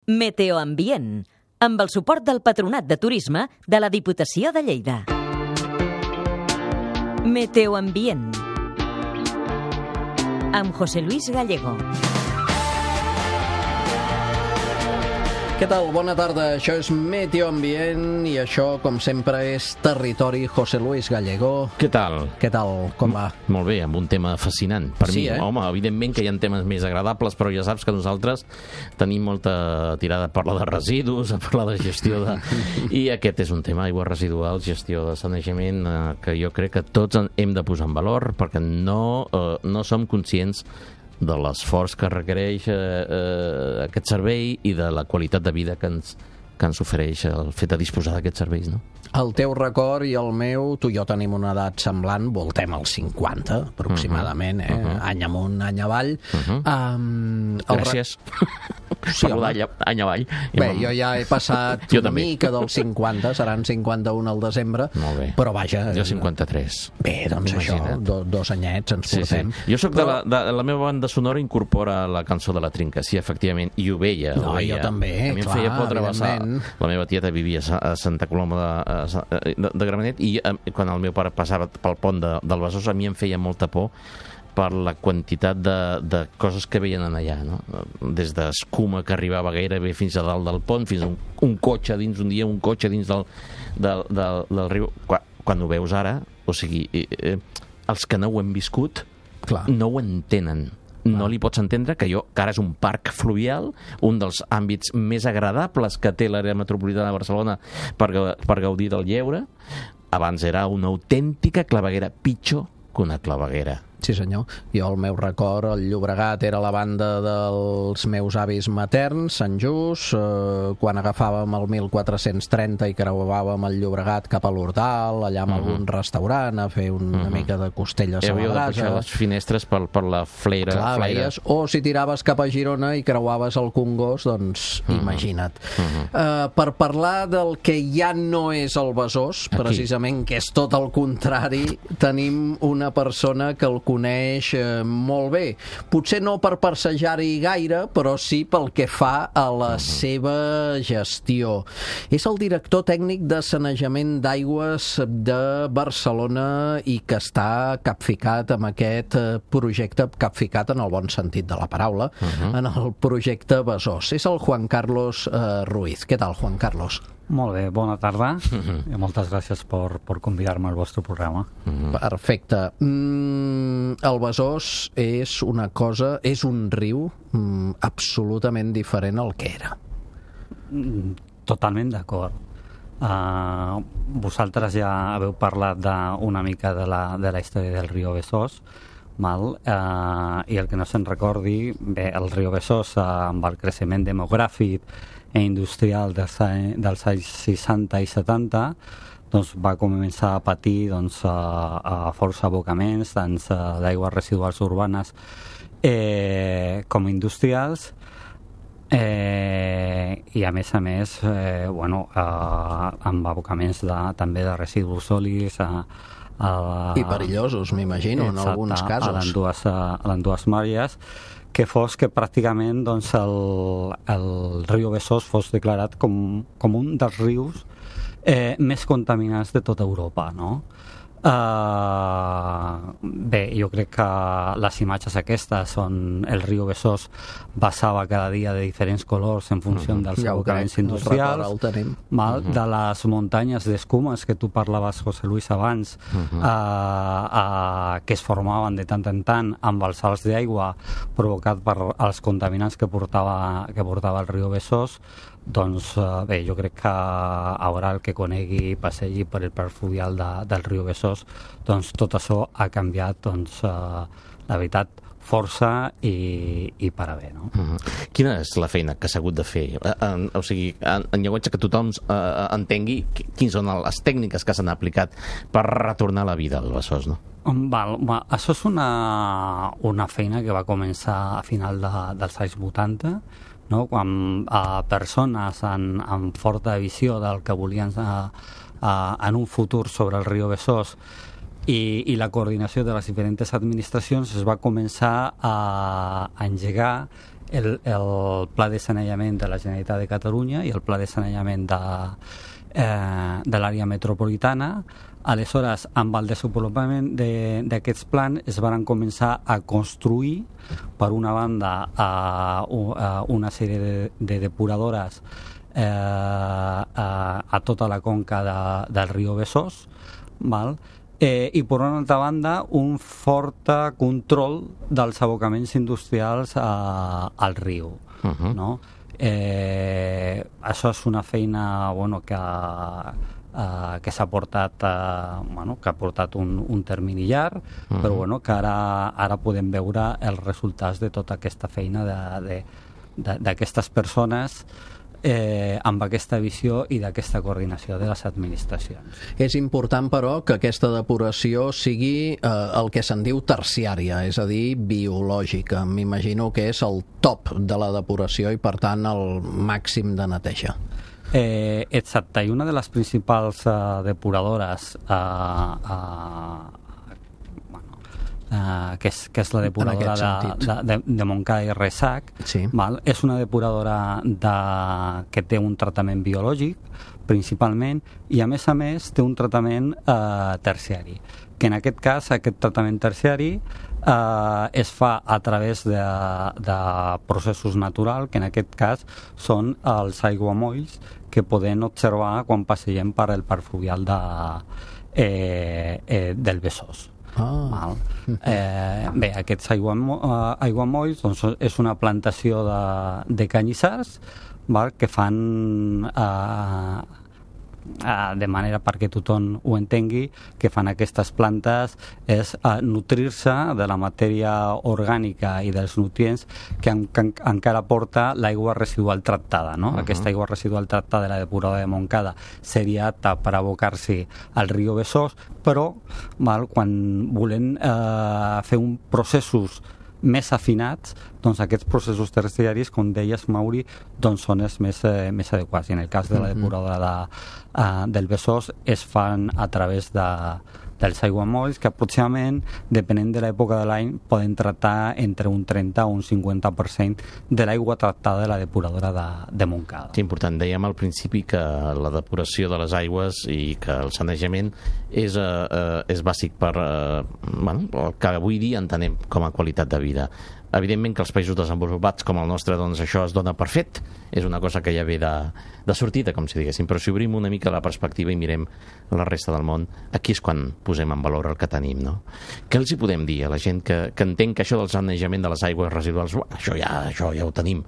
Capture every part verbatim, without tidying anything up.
Meteoambient, amb el suport del Patronat de Turisme de la Diputació de Lleida. Meteoambient, amb José Luis Gallego. Què tal? Bona tarda. Això és Meteoambient i això, com sempre, és Territori José Luis Gallego. Què tal? Què tal? Com va? Molt bé, amb un tema fascinant. Per Sí, mi, eh? home, evidentment que hi ha temes més agradables, però ja saps que nosaltres tenim molta tirada a parlar de residus, a parlar de gestió de... I aquest és un tema, aigües residuals, gestió de sanejament, eh, que jo crec que tots hem de posar en valor, perquè no, eh, no som conscients de l'esforç que requereix eh, eh, aquest servei i de la qualitat de vida que ens, que ens ofereix el fet de disposar d'aquests serveis, no? El teu record i el meu, tu i jo tenim una edat semblant, voltem als cinquanta, aproximadament, eh? Uh -huh. Any amunt, any avall. Uh -huh. um, Gràcies. Sí, Parlo d'any any avall. Bé, jo ja he passat jo una també. mica dels cinquanta, seran cinquanta-un al desembre, Molt bé. però vaja... Jo cinquanta-tres. Bé, doncs Imagina't. això, do, dos anyets ens Sí, portem. sí. Jo soc Però... de, la, de la meva banda sonora incorpora la cançó de la Trinca, sí, efectivament, i ho veia. No, ho veia. jo també, a mi em clar, feia por travessar. evidentment. La meva tieta vivia a Santa Coloma de, de, de Gramenet i eh, quan el meu pare passava pel pont de, del Besòs a mi em feia molta por per la quantitat de, de coses que veien allà, no? Des d'escuma que arribava gairebé fins a dalt del pont, fins a un, un cotxe dins, un dia un cotxe dins del, del, del, del riu. Quan, quan ho veus ara, o sigui, eh, eh, els que no ho hem viscut Clar. no ho entenen. No li pots entendre que jo, que ara és un parc fluvial, un dels àmbits més agradables que té l'àrea metropolitana de Barcelona per, per gaudir del lleure, abans era una autèntica claveguera, pitjor que una claveguera. Sí, senyor. Jo, el meu record, el Llobregat era la banda dels meus avis materns, Sant Just, eh, quan agafàvem el mil quatre-cents trenta i creuàvem el Llobregat cap a l'Hortal, allà amb uh -huh. algun restaurant, a fer una uh -huh. mica de costelles a la brasa. brasa. Hi havia de les finestres per, per la fleira. Clar, fleira. veies, o si tiraves cap a Girona i creuaves el Congost, doncs uh -huh. imagina't. Uh -huh. uh, per parlar del que ja no és el Besòs, Aquí. precisament, que és tot el contrari, tenim una persona que el coneix eh, molt bé. Potser no per passejar-hi gaire, però sí pel que fa a la uh -huh. seva gestió. És el director tècnic de sanejament d'aigües de Barcelona i que està capficat amb aquest eh, projecte, capficat en el bon sentit de la paraula, uh -huh. en el projecte Besòs. És el Juan Carlos eh, Ruiz. Què tal, Juan Carlos? Molt bé, bona tarda uh-huh. i moltes gràcies per, per convidar-me al vostre programa. Uh-huh. Perfecte. Mm, el Besòs és una cosa, és un riu mm, absolutament diferent al que era. Totalment d'acord. Uh, vosaltres ja haveu parlat de, una mica de la, de la història del riu Besòs, mal, uh, i el que no se'n recordi, bé, el riu Besòs, uh, amb el creixement demogràfic i industrial dels, dels anys seixanta i setanta, doncs va començar a patir doncs, a, a força abocaments tant d'aigües residuals urbanes eh, com industrials, eh, i a més a més eh, bueno, eh, amb abocaments de, també de residus sòlids a, a, i perillosos, m'imagino, en alguns casos. A les dues, a les dues màries, que fos que pràcticament doncs, el, el riu Besòs fos declarat com, com un dels rius eh, més contaminats de tota Europa, no? Uh, bé, jo crec que les imatges aquestes on el riu Besòs passava cada dia de diferents colors en funció uh -huh. dels ja abocaments crec, industrials, el tenim. mal, uh -huh. de les muntanyes d'escumes que tu parlaves, José Luis, abans, uh -huh. uh, uh, que es formaven de tant en tant amb els salts d'aigua provocat per els contaminants que portava, que portava el riu Besòs. Doncs uh, bé, jo crec que ara el que conegui i passegi per el parc fluvial de, del riu Besòs, doncs tot això ha canviat, doncs, uh, la veritat, força i, i per a bé, no? Uh-huh. Quina és la feina que s'ha hagut de fer? En, o sigui, en, en llenguatge que tothom uh, entengui, quines són les tècniques que s'han aplicat per retornar la vida al Besòs, no? Val, va, això és una, una feina que va començar a final de, dels anys vuitanta, no? Quan a persones amb, amb forta visió del que volien a, a, en un futur sobre el riu Besòs i, i la coordinació de les diferents administracions es va començar a, a engegar el, el pla de saneament de la Generalitat de Catalunya i el pla de saneament de, eh, de l'àrea metropolitana. Aleshores, amb el desenvolupament d'aquests plans es van començar a construir, per una banda, a, a una sèrie de, de depuradores eh, a, a tota la conca de, del riu Besòs, val? Eh, i per una altra banda un fort control dels abocaments industrials a, al riu. Uh-huh. No? Eh, això és una feina bueno, que, eh, que s'ha portat eh, bueno, que ha portat un, un termini llarg, uh-huh. però bueno, que ara, ara podem veure els resultats de tota aquesta feina d'aquestes persones Eh, amb aquesta visió i d'aquesta coordinació de les administracions. És important, però, que aquesta depuració sigui eh, el que se'n diu terciària, és a dir, biològica. M'imagino que és el top de la depuració i, per tant, el màxim de neteja. Eh, exacte, i una de les principals eh, depuradores eh, eh, Uh, que, és, que és la depuradora de, de, de, de Montcada i Reixac, sí. Val? És una depuradora de, que té un tractament biològic principalment, i a més a més té un tractament uh, terciari, que en aquest cas aquest tractament terciari uh, es fa a través de, de processos naturals, que en aquest cas són els aiguamolls que podem observar quan passegem per el parc fluvial de, eh, eh, del Besòs. Oh. Val. Eh, bé, aquests aiguamolls, aiguamolls doncs, és una plantació de, de canyissars, val, que fan eh, eh, de manera perquè tothom ho entengui, que fan aquestes plantes és eh, nutrir-se de la matèria orgànica i dels nutrients que, en, que en, encara porta l'aigua residual tractada, no? Uh-huh. Aquesta aigua residual tractada de la depuradora de Montcada seria apta per abocar-s'hi al riu Besòs, però val, quan volem eh, fer un processos més afinats, doncs aquests processos terciaris, com deies, Mauri, doncs són els més, eh, més adequats. I en el cas de la depuradora de, uh, del Besòs es fan a través de, dels aiguamolls, que aproximadament, depenent de l'època de l'any, poden tractar entre un trenta o un cinquanta per cent de l'aigua tractada de la depuradora de, de Montcada. Sí, important. Dèiem al principi que la depuració de les aigües i que el sanejament és, eh, és bàsic per eh, bueno, el que avui dia entenem com a qualitat de vida. Evidentment que els països desenvolupats com el nostre, doncs això es dona per fet, és una cosa que ja ve de, de sortida, com si diguéssim, però si obrim una mica la perspectiva i mirem la resta del món, aquí és quan posem en valor el que tenim, no? Què els hi podem dir a la gent que, que entén que això del sanejament de les aigües residuals, això ja, això ja ho tenim?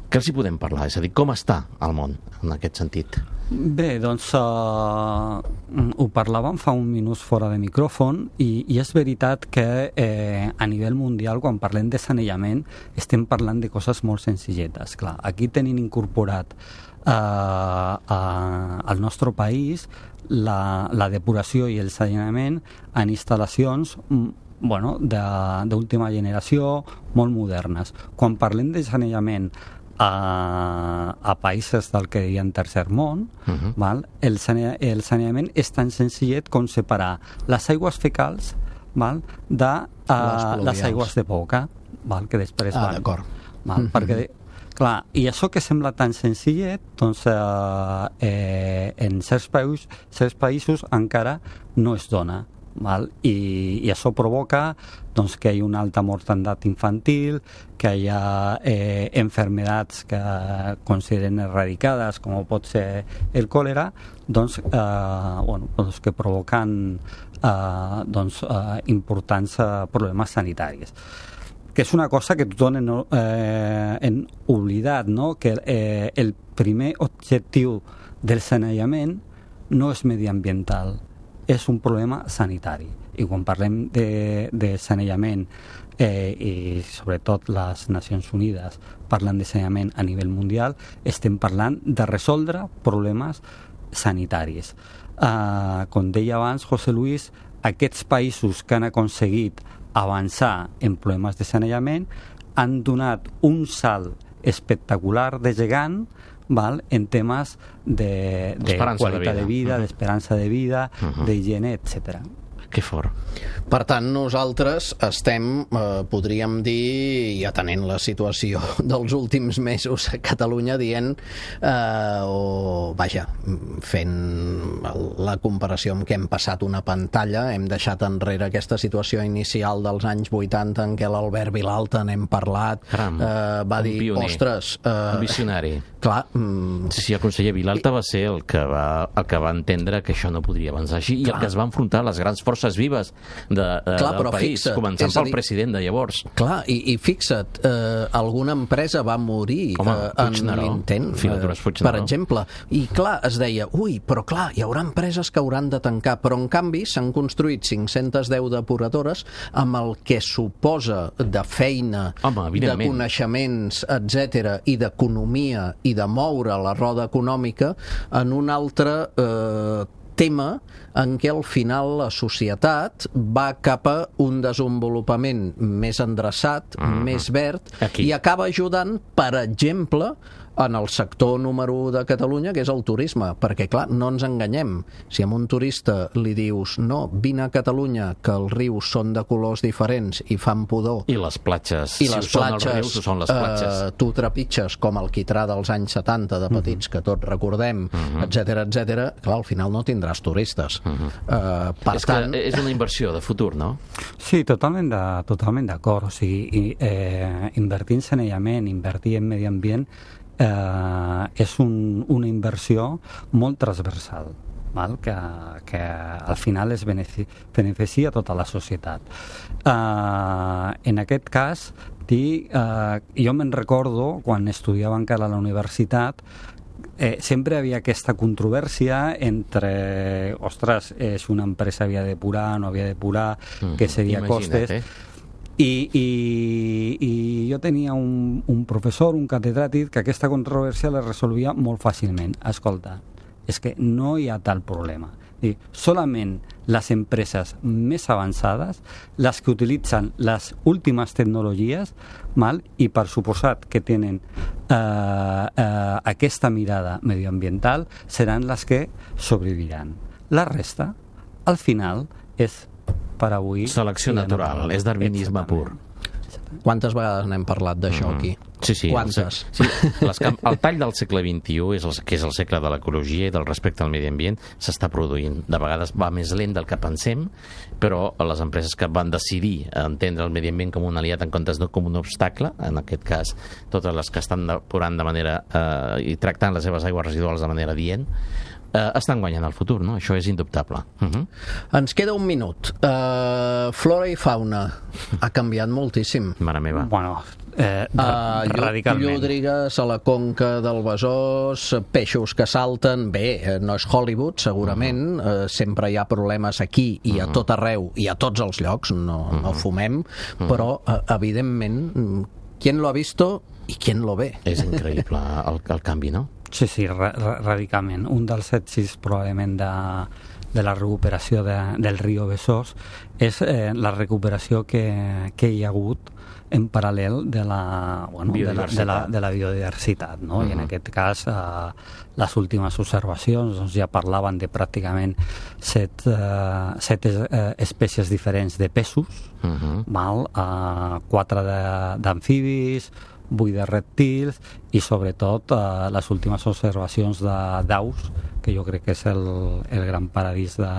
Què els hi podem parlar? És a dir, com està el món en aquest sentit? Bé, doncs uh, ho parlàvem fa un minut fora de micròfon i, i és veritat que eh, a nivell mundial, quan parlem de sanejament, estem parlant de coses molt senzilletes. Clar, aquí tenim incorporat uh, uh, al nostre país la, la depuració i el sanejament en instal·lacions bueno, d'última generació, molt modernes. Quan parlem de sanejament A, a països del que diuen tercer món, uh-huh. val? El, sane, el saneament és tan senzillet com separar les aigües fecals, val? de uh, les aigües de boca, val? Que després ah, van. D'acord. Val? Uh-huh. Perquè, clar, i això que sembla tan senzillet, doncs uh, eh, en certs països, certs països encara no es dona. Val? I, i això provoca doncs, que hi ha una alta mortalitat infantil, que hi ha eh, enfermedats que consideren eradicades, com pot ser el còlera, doncs, eh, bueno, doncs que provoquen eh, doncs, eh, importants eh, problemes sanitaris. Que és una cosa que tothom hem, eh, hem oblidat, no? Que eh, el primer objectiu del sanejament no és mediambiental, és un problema sanitari. I quan parlem de, de sanejament, eh, i sobretot les Nacions Unides parlen de sanejament a nivell mundial, estem parlant de resoldre problemes sanitaris. Eh, com deia abans José Luis, aquests països que han aconseguit avançar en problemes de sanejament han donat un salt espectacular de gegant, val? En temes de, de qualitat de vida, de vida uh-huh. d'esperança de vida, uh-huh. d'higiene, etcètera. Que fort. Per tant, nosaltres estem, eh, podríem dir, i atenent la situació dels últims mesos a Catalunya, dient, eh, o vaja, fent la comparació amb què hem passat una pantalla, hem deixat enrere aquesta situació inicial dels anys vuitanta en què l'Albert Vilalta, n'hem parlat, Caram, eh, va dir, pioner, ostres... Eh, un visionari. Clar... Mm, sí, sí, el conseller Vilalta va ser el que va, el que va entendre que això no podria avançar així, clar, i el que es va enfrontar a les grans forces vives de, de, clar, del país, fixa't, començant pel dir, president de llavors. Clar, i, i fixa't, eh, alguna empresa va morir Home, eh, en l'intent, eh, per exemple. I clar, es deia, ui, però clar, hi haurà empreses que hauran de tancar, però en canvi s'han construït cinc-centes deu depuradores amb el que suposa de feina, Home, de coneixements, etcètera, i d'economia, i de moure la roda econòmica en un altre eh, tema en què al final la societat va cap a un desenvolupament més endreçat, mm-hmm. més verd, Aquí. i acaba ajudant, per exemple, en el sector número u de Catalunya, que és el turisme, perquè, clar, no ens enganyem. Si a un turista li dius, no, vine a Catalunya, que els rius són de colors diferents i fan pudor... I les platges, i les si platges, són els rius, són les platges. Eh, tu trepitges com el quitrà dels anys setanta de petits, mm-hmm. que tots recordem, mm-hmm. etcètera, etcètera, clar, al final no tindràs turistes. Mm-hmm. eh, per és tant... que és una inversió de futur, no? Sí, totalment de, totalment d'acord. O sigui, eh, invertir en saneament, invertir en medi ambient, eh, és un, una inversió molt transversal, val? Que, que al final es beneficia a tota la societat. Eh, en aquest cas, dir, eh, jo me'n recordo, quan estudiava encara a la universitat, Eh, sempre havia aquesta controvèrsia entre, ostres, és una empresa havia de depurar, no havia de depurar, mm, què seria costes... Eh? I, i, i jo tenia un, un professor, un catedràtic, que aquesta controvèrsia la resolvia molt fàcilment. Escolta, és que no hi ha tal problema. Dir, solament les empreses més avançades, les que utilitzen les últimes tecnologies, mal, i per suposat que tenen eh, eh, aquesta mirada medioambiental, seran les que sobreviviran. La resta, al final, és per avui... Selecció natural, no, és darwinisme pur. Quantes vegades n'hem parlat d'això mm. aquí? Sí, sí. Quantes? Sí, les, el tall del segle vint-i-u, és el, que és el segle de l'ecologia i del respecte al medi ambient, s'està produint. De vegades va més lent del que pensem, però les empreses que van decidir entendre el medi ambient com un aliat en comptes de com un obstacle, en aquest cas totes les que estan depurant de manera eh, i tractant les seves aigües residuals de manera dient, Uh, estan guanyant el futur, no? Això és indubtable. Uh-huh. Ens queda un minut. Uh, flora i fauna ha canviat moltíssim. Mare meva. Bueno, eh, uh, radicalment. Llúdrigues a la conca del Besòs, peixos que salten... Bé, no és Hollywood, segurament. Uh-huh. uh, sempre hi ha problemes aquí i a tot arreu i a tots els llocs, no, uh-huh. no fumem, uh-huh. però, uh, evidentment, qui lo ha visto i qui lo ve. És increïble el, el canvi, no? Sí, sí, ra radicalment. Un dels èxits probablement de, de la recuperació de, del riu Besòs és eh, la recuperació que, que hi ha hagut en paral·lel de la, bueno, de la, de la, de la biodiversitat, no? Uh-huh. I en aquest cas eh, les últimes observacions doncs, ja parlaven de pràcticament set, eh, set eh, espècies diferents de peixos, uh-huh. val? Eh, quatre d'amfibis, vuit de rèptils i sobretot eh, les últimes observacions d'aus, que jo crec que és el, el gran paradís de,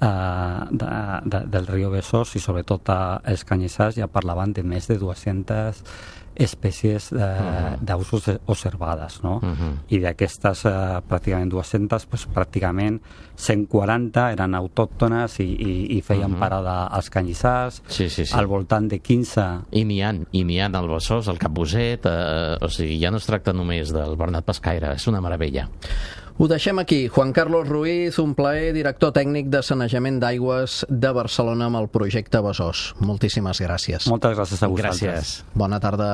eh, de, de, del riu Besòs, i sobretot eh, els canyissars ja parlaven de més de dues-centes espècies eh, uh-huh. d'aus observades, no? Uh-huh. I d'aquestes eh, pràcticament dues-centes, pues, pràcticament cent quaranta eren autòctones i, i, i feien uh-huh. parada als canyissars, sí, sí, sí. al voltant de quinze... I n'hi ha, i n'hi ha al Besòs, al Capbuset, eh, o sigui, ja no es tracta només del Bernat Pescaire, és una meravella. Ho deixem aquí. Juan Carlos Ruiz, un plaer, director tècnic de sanejament d'aigües de Barcelona amb el projecte Besòs. Moltíssimes gràcies. Moltes gràcies a vosaltres. Gràcies. Bona tarda.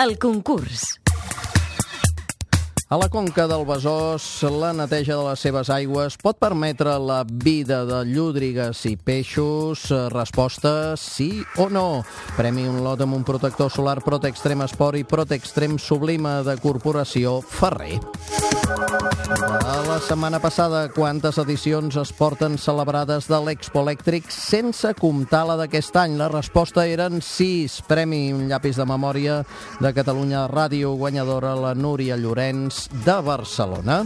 El concurs. A la conca del Besòs, la neteja de les seves aigües pot permetre la vida de llúdrigues i peixos? Resposta sí o no. Premi un lot amb un protector solar Protextrem Esport i Protextrem Sublima de Corporació Ferrer. De la setmana passada, quantes edicions es porten celebrades de l'Expo Elèctric sense comptar la d'aquest any? La resposta eren sis. Premi un llapis de memòria de Catalunya Ràdio, guanyadora la Núria Llorenç de Barcelona.